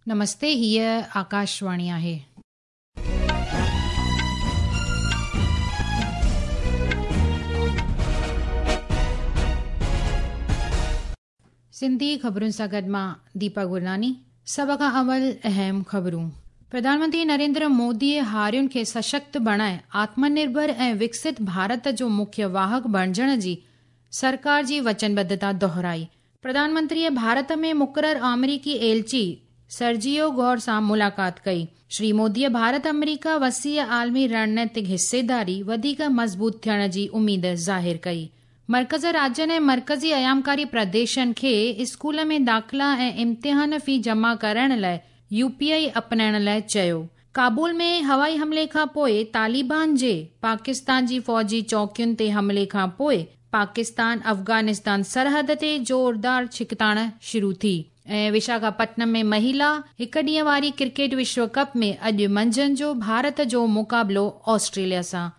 نمستي هيء آڪاشواڻي آهي. سنڌي خبرن سان گڏ مان ديپا گرناني سڀ کان اول اهم خبرون پرڌان منتري نريندر موديء هارين کي سشڪت بڻائي آتم نرڀر ۽ وڪست ڀارت جو مکيه واهڪ بڻجڻ جي سرڪار جي وچنبڌتا دهرائي. پرڌان منتريء ڀارت ۾ مقرر آمريڪي ايلچي سرجيو گور سان ملاقات ڪئي. شري موديء ڀارت آمريڪا وسيع عالمي رڻنيتڪ حصيداري وڌيڪ مضبوط ٿيڻ جي اميد ظاهر ڪئي. مرڪز راجين ۽ مرڪزي ايامڪاري پرديشن کي اسڪول ۾ داخلا ۽ امتحان في جمع ڪرائڻ لاء يو پي آء اپنائڻ لاء چيو. ڪابل ۾ هوائي حملي کان پوء طالبان جي پاڪستان جي فوجي چوڪين تي حملي کان پوء پاڪستان افغانستان سرحد تي زوردار ڇڪتاڻ شروع ٿي ۽ وشاکاپٽنم ۾ مهيلا هڪ ڏينهن واري ڪرڪيٽ وشو ڪپ ۾ اڄ منجهند جو ڀارت جو مقابلو آسٽريليا سان.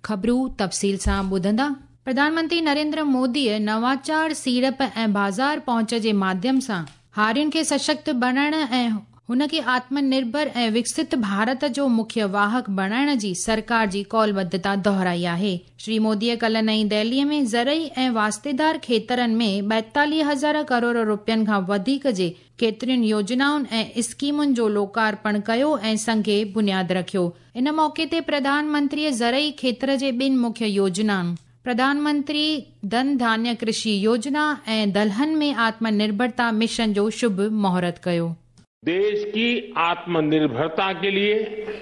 خبرون تفصيل سان ٻڌندا. پرڌان منتري نريندر موديء نواچار، سيڙپ ۽ بازار پهچ جي ماڌيم سان هارين کي سشڪت بڻائڻ ۽ هن کي آتم نرڀر ۽ وڪست ڀارت جو مکيه واهڪ بڻائڻ جي سرڪار جي قولبڌتا دهرائي آهي. شري موديء ڪلهه نئين دهليء ۾ زرعي ۽ واسطيدار کيترن ۾ 42 هزار ڪروڙ روپين کان وڌيڪ جي ڪيترين يوجنائن ۽ اسڪيمن جو لوڪارپڻ ڪيو ۽ سنگ بنياد رکيو. ان موقعي تي پرڌان منتريء زرعي کيتر جي ٻن مکيه يوجنائن، پرڌان منتري ڌن ڌانيه ڪرشي يوجنا ۽ دلهن ۾ آتم نرڀرتا مشن جو شڀ مهورت ڪيو. ديش ڪي آتم نرڀرتا ڪي ليي،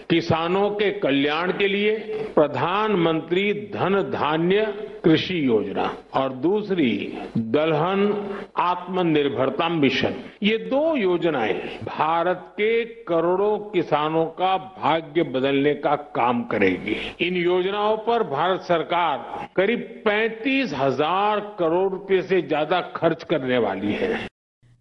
ڪسانون ڪي ڪلياڻ ڪي ليي پرڌان منتري ڌن ڌانيه ڪرشي يوجنا اور دوسري دلهن آتم نرڀرتا مشن يي دو يوجنائين ڀارت ڪي ڪروڙون ڪسانون ڪا ڀاگيه بدلني ڪا ڪام ڪريگي. ان يوجنائون پر ڀارت سرڪار قريب 35 هزار ڪروڙ روپي سي زياده خرچ ڪرني والي هي.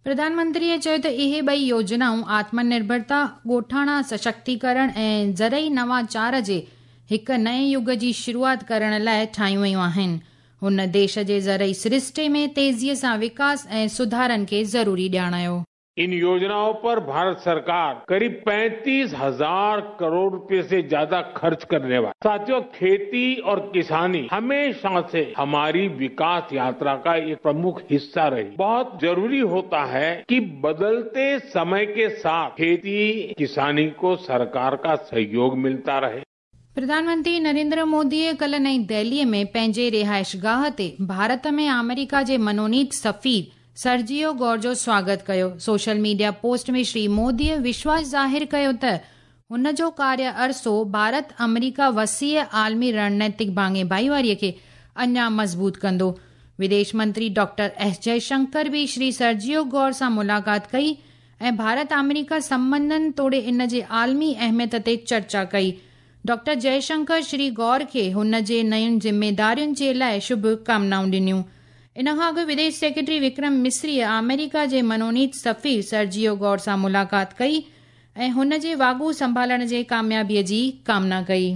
پرڌان منتريء چيو ته اهي ٻئي يوجنائون آتم نرڀرتا، ڳوٺاڻا سشڪتيڪرڻ ۽ زرعي نواچار جي هڪ نئين يگ جي شروعات ڪرڻ لاء ٺاهيون ويون آهن. هن ديش جي زرعي سرشتي ۾ تيزيء سان وڪاس ۽ سڌارن کي ضروري ڄاڻايو. ان يوجنائون پر ڀارت سرڪار قريب 35 هزار ڪروڙ روپي سي زياده خرچ ڪرني والي. ساٿيو کيتي اور ڪساني هميشه سي هماري وڪاس ياترا ڪا ايڪ پرمک حصه رهي. بهت ضروري هوتا هي ڪي بدلتي سمي ڪي ساٿ کيتي ڪساني ڪو سرڪار ڪا سهيوگ ملتا رهي. پرڌان منتري نريندر موديء ڪلهه نئين دهليء ۾ پنهنجي رهائشگاهه تي ڀارت ۾ آمريڪا جي منونيت سفير سرجيو گور جو سواگت ڪيو. سوشل ميڊيا پوسٽ ۾ شري موديء وشواس ظاهر ڪيو ته هن جو ڪاريه عرصو ڀارت آمريڪا وسيع عالمي رڻنيتڪ ڀاڱي ڀائيواريء کي اڃا مضبوط ڪندو. وديش منتري ڊاڪٽر ايس جئشنڪر به شري سرجيو گور سان ملاقات ڪئي ۽ ڀارت آمريڪا سنٻنڌن توڙي ان جي عالمي اهميت تي چرچا ڪئي. ڊاڪٽر جئشنڪر شري گور کي هن جي نين ذميدارين جي لاء شڀ ڪامنائون ڏنيون. ان کان اڳ وديش سيڪريٽري وڪرم مسريء آمريڪا جي منونيت سفير سرجيو گور سان ملاقات ڪئي ۽ هن جي واڳون سنڀالڻ جي ڪاميابيء جي ڪامنا ڪئي.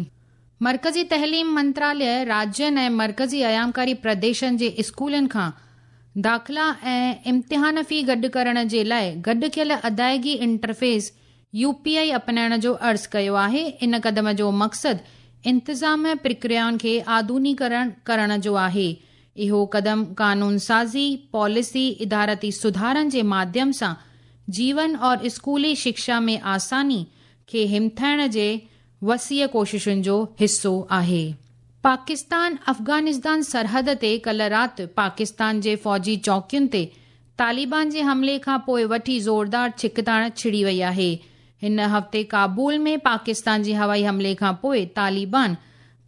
مرڪزي تعليم منتراليه راجين ۽ مرڪزي ايامڪاري پرديشن جي اسڪولن کان داخلا ۽ امتحان في گڏ ڪرڻ جي لاء گڏ ڪيل ادائگي انٽرفيس، يو پي آء، اپنائڻ جو عرض ڪيو آهي. ان قدم جو مقصد انتظام پرڪريائن کي آڌونيڪرڻ ڪرڻ جو آهي. اهو قدم قانون سازي، پاليسي، ادارتي سڌارن جي ماڌيم سان جيون اور اسڪولي شڪشا ۾ آساني کي همٿائڻ جي وسيع ڪوششن جو حصو آهي. پاڪستان افغانستان سرحد تي ڪلهه رات پاڪستان جي فوجي چوڪين تي طالبان جي حملي کان پوء وٺي زوردار ڇڪتاڻ ڇڙي وئي آهي. هن هفتي ڪابل ۾ پاڪستان جي هوائي حملي کان پوء طالبان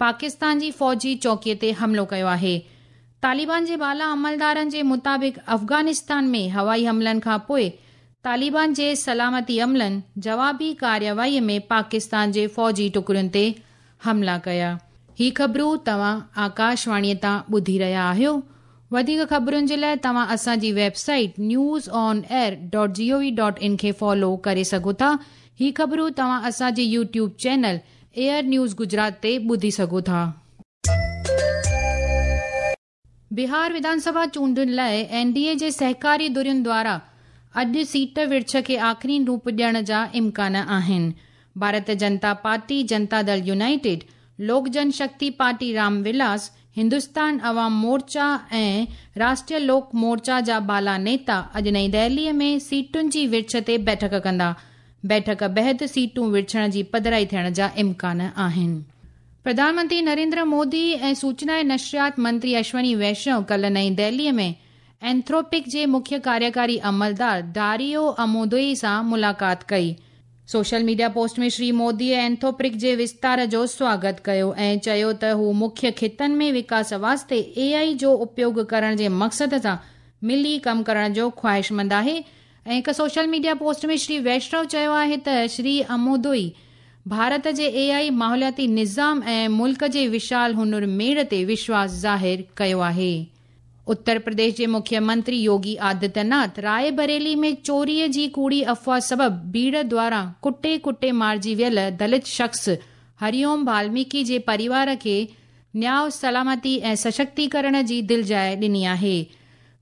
پاڪستان جي فوجي چوڪي تي حملو ڪيو آهي. طالبان جي بالا عملدارن جي مطابق افغانستان ۾ هوائي حملن کان پوء طالبان جي سلامتي عملن جوابي ڪارروائي ۾ پاڪستان جي فوجي ٽڪڙين تي حملا ڪيا. هي خبرون توهان آڪاشواڻيء تان ٻڌي رهيا آهيو. وڌيڪ خبرن جي لاء توهان اسان جي web site news on air dot G O V dot in کي فالو ڪري سگهو ٿا. هي خبرون توهان اسان جي YouTube channel Air News Gujarat تي ٻڌي سگهو ٿا. بهار وڌان سڀا چونڊن لاء اين ڊي اي جي سهڪاري ڌرين دواران اڄ سيٽ ورڇ کي آخرين روپ ڏيڻ جا امڪان آهن. Bharatiya Janata party, Janata Dal united, Lok Jan Shakti party Ram Vilas, Hindustan Awam Morcha ۽ Rashtriya Lok Morcha جا بالا نيتا اڄ نئين دهليء ۾ سيٽن جي ورڇ تي بيٺڪ ڪندا. بيٺڪ بعد سيٽون ورڇڻ جي پڌرائي ٿيڻ جا امڪان آهن. پرڌان منتري نريندر مودي ۽ سوچنا ۽ نشريات منتري اشوني ويشنو ڪالهه نئين دهليء ۾ اينٿروپڪ جي مکيه ڪاريڪاري عملدار ڊاريو امودوئي سان ملاقات ڪئي. سوشل ميڊيا پوسٽ ۾ شري موديء اينٿروپڪ جي وستار جو سواگت ڪيو ۽ چيو ته هو مکيه خطن ۾ وڪاس واسطي اي آء جو اپيوگ ڪرڻ جي مقصد سان ملي ڪم ڪرڻ جو خواهشمند آهي ۽ هڪ social media post ۾ Shri Vaishnaw چيو آهي ته شري امودوئي ڀارت جي اي آء ماحولياتي نظام ۽ ملڪ جي وشال هنر ميڙ تي وشواس ظاهر ڪيو آهي. اتر پرديش جي مکيه منتري يوگي آدتيه ناٿ راءِ بريلي ۾ چوريء جي ڪوڙي افواهه سبب ڀيڙ دواران ڪٽي ڪٽي مارجي ويل دلت شخص هري اوم بالميڪي جي پريوار کي نياء، سلامتي ۽ سشڪتيڪرڻ جي دلجاء ڏني آهي.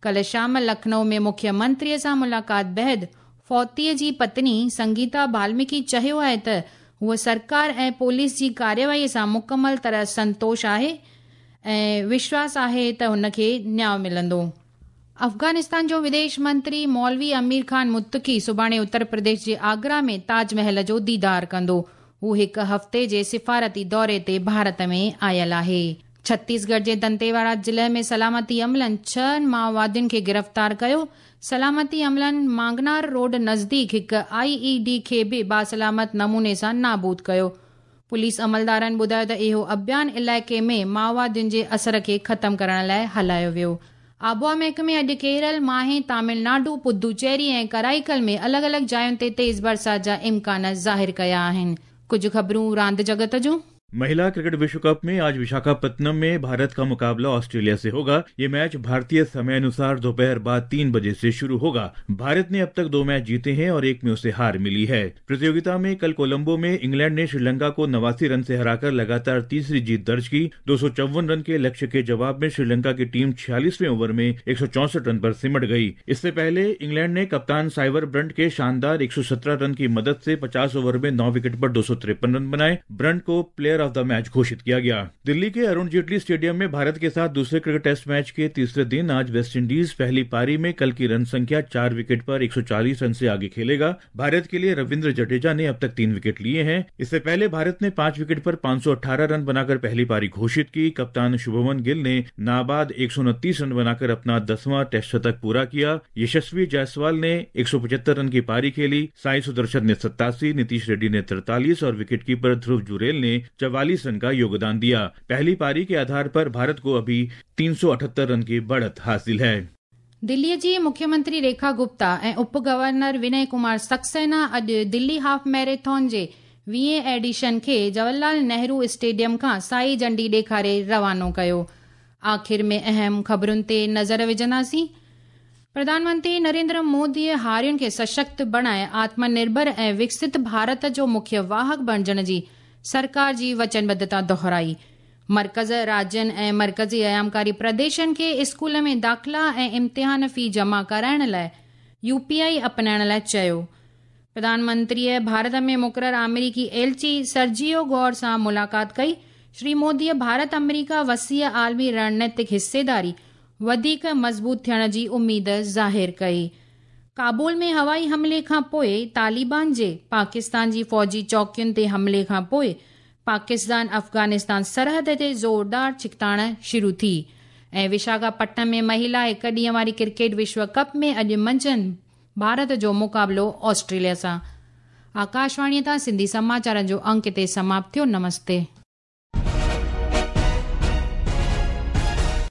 ڪالهه شام لکنؤ ۾ مکيه منتريء سان ملاقات بعد فوتيء جي پتني سنگيتا بالميڪي چيو آهي ته هوء سرڪار ۽ پوليس جي ڪارروائيء سان مڪمل طرح سنتوش آهي ۽ وشواس آهي ته هن کي نياء ملندو. افغانستان جو وديش منتري مولوي امير خان متقي سڀاڻي اتر پرديش جي آگرا ۾ تاج محل جو ديدار ڪندو. هو هڪ هفتي جي سفارتي دوري تي ڀارت ۾ آيل آهي. ڇتيسڳڙهه جي دنتيواڙا ضلعي ۾ سلامتي عملن ڇهن مائووادين کي گرفتار ڪيو. سلامتي عملن مانگنار روڊ نزديڪ هڪ آء اي ڊي کي به باسلامت نموني سان نابود ڪيو. پوليس عملدارن ٻڌايو ته اهو اڀيان علائقي ۾ مائووادين جي اثر کي ختم ڪرڻ لاء هلايو ويو. آبهوا محڪمي اڄ ڪيرل، ماهي، تامل ناڊو، پدوچيري ۽ ڪرائيڪل ۾ الڳ الڳ جاين تي تيز برسات جا امڪان ظاهر ڪيا آهن. ڪجهه خبرون راند جڳت جون. महिला क्रिकेट विश्व कप में आज विशाखापत्तनम में भारत का मुकाबला ऑस्ट्रेलिया से होगा। ये मैच भारतीय समय अनुसार दोपहर बाद 3 बजे से शुरू होगा। भारत ने अब तक 2 मैच जीते हैं और एक में उसे हार मिली है। प्रतियोगिता में कल कोलंबो में इंग्लैंड ने श्रीलंका को 89 रन से हराकर लगातार तीसरी जीत दर्ज की। 254 रन के लक्ष्य के जवाब में श्रीलंका की टीम 46वें ओवर में 164 रन पर सिमट गई। इससे पहले इंग्लैंड ने कप्तान साइवर ब्रंट के शानदार 117 रन की मदद से 50 ओवर में 9 विकेट पर 253 रन बनाए। ब्रंट को प्लेयर ऑफ the match घोषित किया गया। दिल्ली के अरुण जेटली स्टेडियम में भारत के साथ दूसरे क्रिकेट टेस्ट मैच के तीसरे दिन आज वेस्टइंडीज पहली पारी में कल की रन संख्या 4 विकेट पर 140 रन से आगे खेलेगा। भारत के लिए रविंद्र जडेजा ने अब तक 3 विकेट लिए हैं। इससे पहले भारत ने 5 विकेट पर 518 रन बनाकर पहली पारी घोषित की। कप्तान शुभमन गिल ने नाबाद 129 रन बनाकर अपना 10वां टेस्ट शतक पूरा किया। यशस्वी जायसवाल ने 175 रन की पारी खेली। साई सुदर्शन ने 87, नीतीश रेड्डी ने 43 और विकेटकीपर ध्रुव जुरेल ने 44 रन का योगदान दिया। पहली पारी के आधार पर भारत को अभी 378 रन की बढ़त हासिल है। दिल्लीअ जी मुख्यमंत्री रेखा गुप्ता ऐं उप गवर्नर विनय कुमार सक्सेना अॼु दिल्ली हाफ मैराथन जे 20हें एडिशन खे जवाहरलाल नेहरू स्टेडियम खां साई झंडी ॾेखारे रवानो कयो। आख़िर में अहम ख़बरुनि ते नज़र विझंदासीं। प्रधानमंत्री नरेंद्र मोदीअ हारियुनि खे सशक्त बणाए आत्मनिर्भर ऐं विकसित भारत जो मुख्य वाहक बणिजण जी सरकार जी वचनबद्धता दोहराई। मर्कज़, राज्यनि ऐं मर्कज़ी अयामकारी प्रदेशनि खे स्कूल में दाख़िला ऐं इम्तिहान फी जमा कराइण लाइ यूपीआई अपनाइण लाइ चयो। प्रधानमंत्रीअ भारत में मुक़ररु आमेरिकी एलची सर्जियो गौर सां मुलाक़ात कई। श्री मोदीअ भारत अमेरिका वसीअ आलमी रणनीतिक हिस्सेदारी वधीक मज़बूत थियण जी उम्मीद ज़ाहिर कई। काबुल में हवाई हमले खां पोइ तालिबान जे पाकिस्तान जी फ़ौजी चौकियुनि ते हमले खां पोइ पाकिस्तान अफ़ग़ानिस्तान सरहद ते ज़ोरदार छिकताण शुरू थी। ऐं विशाखापट्टनम में महिला हिकु ॾींहं वारी क्रिकेट विश्व कप में अॼु मंझंदि भारत जो मुक़ाबिलो ऑस्ट्रेलिया सां। आकाशवाणीअ तां सिंधी समाचारनि जो अंक हिते समाप्त थियो। नमस्ते।